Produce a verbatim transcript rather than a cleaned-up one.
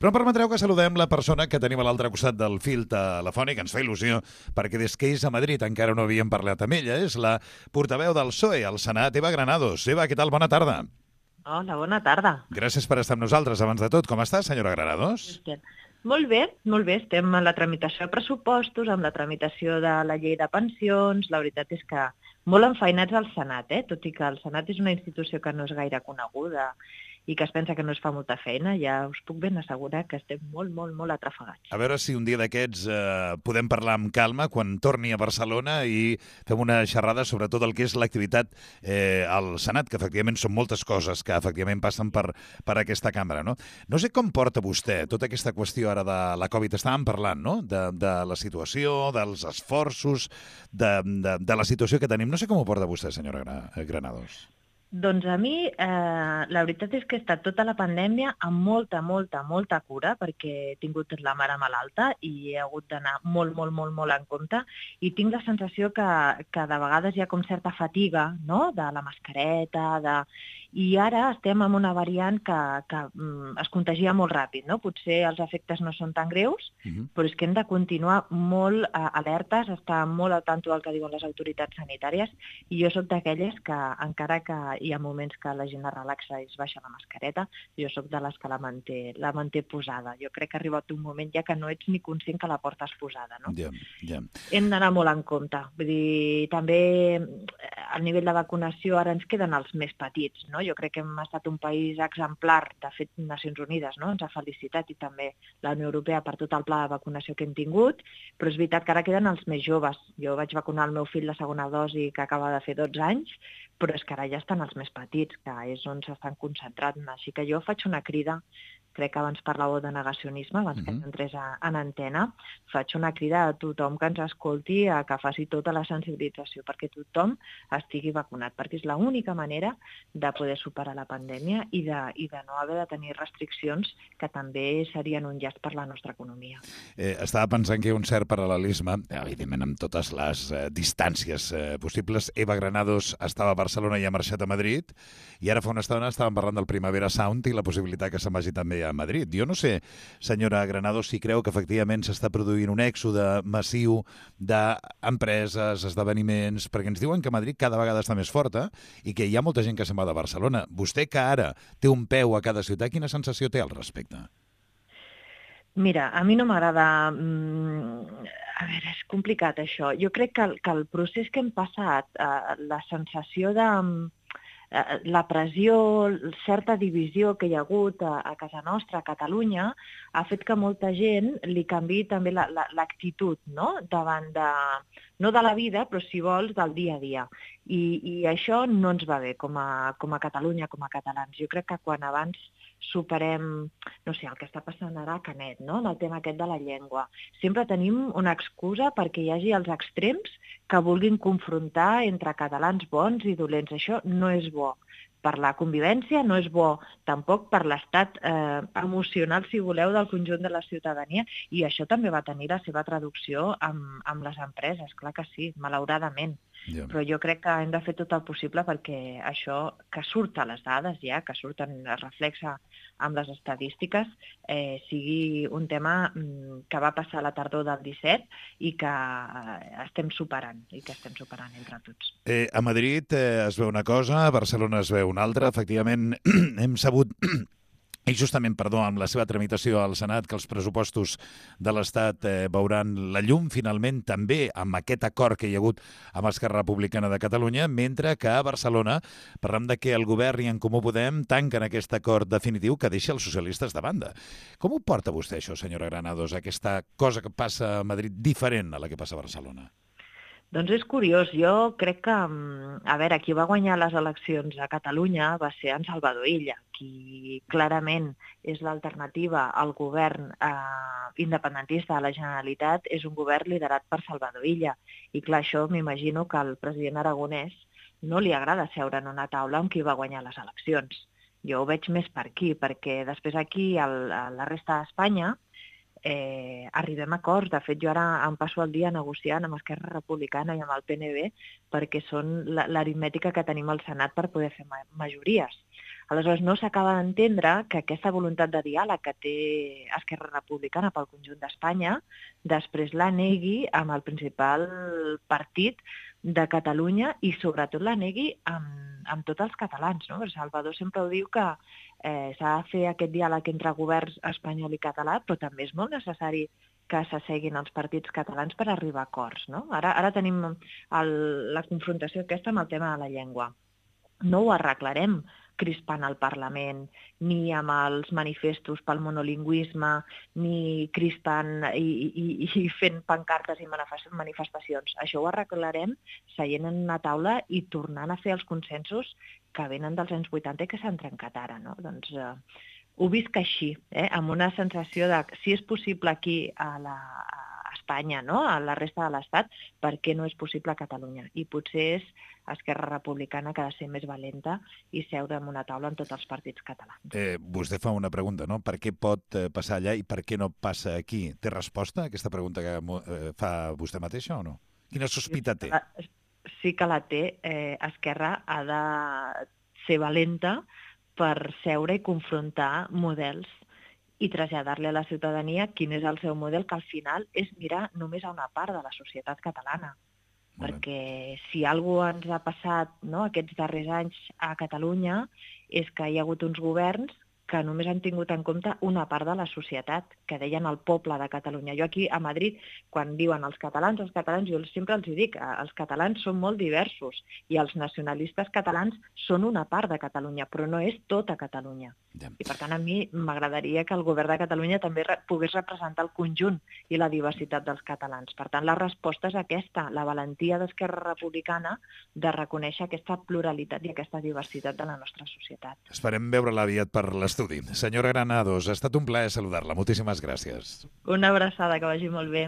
Però em permetreu que saludem la persona que tenim a l'altre costat del fil telefònic, ens fa il·lusió, perquè des que és a Madrid encara no havíem parlat amb ella, és la portaveu del P S O E al Senat, Eva Granados. Eva, què tal? Bona tarda. Hola, bona tarda. Gràcies per estar amb nosaltres. Abans de tot, com està, senyora Granados? Molt bé, molt bé. Estem en la tramitació de pressupostos, amb la tramitació de la llei de pensions. La veritat és que molt enfeinats al Senat, eh? Tot i que el Senat és una institució que no és gaire coneguda i que es pensa que no es fa molta feina, ja us puc ben assegurar que estem molt, molt, molt atrafegats. A veure si un dia d'aquests eh, podem parlar amb calma quan torni a Barcelona i fem una xerrada sobre tot el que és l'activitat eh, al Senat, que efectivament són moltes coses que efectivament passen per, per aquesta cambra, no? No sé com porta vostè tota aquesta qüestió ara de la Covid. Estàvem parlant, no?, de, de la situació, dels esforços, de, de, de la situació que tenim. No sé com ho porta vostè, senyora Granados. Doncs a mi, eh, la veritat és que he estat tota la pandèmia amb molta, molta, molta cura, perquè he tingut la mare malalta i he hagut d'anar molt, molt, molt, molt en compte, i tinc la sensació que, que de vegades hi ha com certa fatiga, no?, de la mascareta, de... I ara estem amb una variant que, que mm, es contagia molt ràpid, no? Potser els efectes no són tan greus, uh-huh. però és que hem de continuar molt eh, alertes, estar molt al tanto del que diuen les autoritats sanitàries, i jo sóc d'aquelles que, encara que hi ha moments que la gent es relaxa i es baixa la mascareta, jo sóc de les que la manté, la manté posada. Jo crec que ha arribat un moment ja que no ets ni conscient que la portes posada, no? Ja, ja. Hem d'anar molt en compte. Vull dir, també al nivell de vacunació ara ens queden els més petits, no? Jo crec que hem estat un país exemplar, de fet, Nacions Unides, no?, ens ha felicitat, i també la Unió Europea per tot el pla de vacunació que hem tingut, però és veritat que ara queden els més joves. Jo vaig vacunar el meu fill la segona dosi, que acaba de fer dotze anys, però és que ara ja estan els més petits, que és on s'estan concentrant. Així que jo faig una crida, crec que abans parlàveu de negacionisme, abans uh-huh. que entrés en antena, faig una crida a tothom que ens escolti a que faci tota la sensibilització perquè tothom estigui vacunat, perquè és l'única manera de poder superar la pandèmia i de, i de no haver de tenir restriccions que també serien un llast per la nostra economia. Eh, estava pensant que hi ha un cert paral·lelisme, evidentment amb totes les eh, distàncies eh, possibles. Eva Granados estava a Barcelona i ha marxat a Madrid, i ara fa una estona estàvem parlant del Primavera Sound i la possibilitat que se'n vagi també a Madrid. Jo no sé, senyora Granados, si creu que efectivament s'està produint un èxode massiu d'empreses, esdeveniments, perquè ens diuen que Madrid cada vegada està més forta i que hi ha molta gent que se'n va de Barcelona. Vostè, que ara té un peu a cada ciutat, quina sensació té al respecte? Mira, a mi no m'agrada... A veure, és complicat això. Jo crec que el, que el procés que hem passat, eh, la sensació de... la pressió, certa divisió que hi ha hagut a, a casa nostra, a Catalunya, ha fet que molta gent li canviï també la, la, l'actitud, no?, davant de, no de la vida, però si vols, del dia a dia. I, i això no ens va bé com a, com a Catalunya, com a catalans. Jo crec que quan abans superem, no sé, el que està passant ara a Canet, no?, en el tema aquest de la llengua. Sempre tenim una excusa perquè hi hagi els extrems que vulguin confrontar entre catalans bons i dolents. Això no és bo per la convivència, no és bo tampoc per l'estat eh, emocional, si voleu, del conjunt de la ciutadania, i això també va tenir la seva traducció amb, amb les empreses, clar que sí, malauradament. Yeah. Però jo crec que hem de fer tot el possible perquè això que surt a les dades ja, que surten, es reflexa amb les estadístiques, eh, sigui un tema mm, que va passar a la tardor del disset i que eh, estem superant, i que estem superant entre tots. Eh, a Madrid eh, es veu una cosa, a Barcelona es veu una altra. Efectivament, hem sabut... I justament, perdó, amb la seva tramitació al Senat, que els pressupostos de l'Estat eh, veuran la llum, finalment, també amb aquest acord que hi ha hagut amb Esquerra Republicana de Catalunya, mentre que a Barcelona parlem de que el govern i En Comú Podem tanquen aquest acord definitiu que deixa els socialistes de banda. Com ho porta vostè, això, senyora Granados, aquesta cosa que passa a Madrid diferent a la que passa a Barcelona? Doncs és curiós. Jo crec que, a veure, qui va guanyar les eleccions a Catalunya va ser en Salvador Illa, qui clarament és l'alternativa al govern eh, independentista de la Generalitat, és un govern liderat per Salvador Illa. I clar, això m'imagino que al president aragonès no li agrada seure en una taula amb qui va guanyar les eleccions. Jo ho veig més per aquí, perquè després aquí, al, a la resta d'Espanya, Eh, arribem a acords. De fet, jo ara em passo el dia negociant amb Esquerra Republicana i amb el P N B perquè són l'aritmètica que tenim al Senat per poder fer ma- majories. Aleshores, no s'acaba d'entendre que aquesta voluntat de diàleg que té Esquerra Republicana pel conjunt d'Espanya després la negui amb el principal partit de Catalunya i sobretot la negui amb, amb tots els catalans. No? Salvador sempre ho diu que eh, s'ha de fer aquest diàleg entre governs espanyol i català, però també és molt necessari que s'asseguin els partits catalans per arribar a acords. No? Ara, ara tenim el, la confrontació aquesta amb el tema de la llengua. No ho arreglarem crispant el Parlament, ni amb els manifestos pel monolingüisme, ni crispant i, i, i fent pancartes i manifestacions. Això ho arreglarem seient en una taula i tornant a fer els consensos que venen dels anys vuitanta i que s'han trencat ara. No? Doncs eh, ho visc així, eh? Amb una sensació de que si és possible aquí a, la, a Espanya, no? A la resta de l'Estat, per què no és possible a Catalunya? I potser és Esquerra Republicana que ha de ser més valenta i seure en una taula amb tots els partits catalans. Eh, vostè fa una pregunta, no? Per què pot eh, passar allà i per què no passa aquí? Té resposta a aquesta pregunta que eh, fa vostè mateixa o no? Quina sospita té? Sí que la té. Eh, Esquerra ha de ser valenta per seure i confrontar models i traslladar-li a la ciutadania quin és el seu model, que al final és mirar només a una part de la societat catalana. Perquè si alguna cosa ens ha passat, no, aquests darrers anys a Catalunya és que hi ha hagut uns governs que només han tingut en compte una part de la societat, que deien el poble de Catalunya. Jo aquí a Madrid, quan diuen els catalans, els catalans, jo sempre els dic, els catalans són molt diversos i els nacionalistes catalans són una part de Catalunya, però no és tota Catalunya. Ja. I per tant a mi m'agradaria que el govern de Catalunya també pogués representar el conjunt i la diversitat dels catalans. Per tant, la resposta és aquesta, la valentia d'Esquerra Republicana de reconèixer aquesta pluralitat i aquesta diversitat de la nostra societat. Esperem veure-la aviat per l'estudi. Senyora Granados, ha estat un plaer saludar-la. Moltíssimes gràcies. Una abraçada, que vagi molt bé.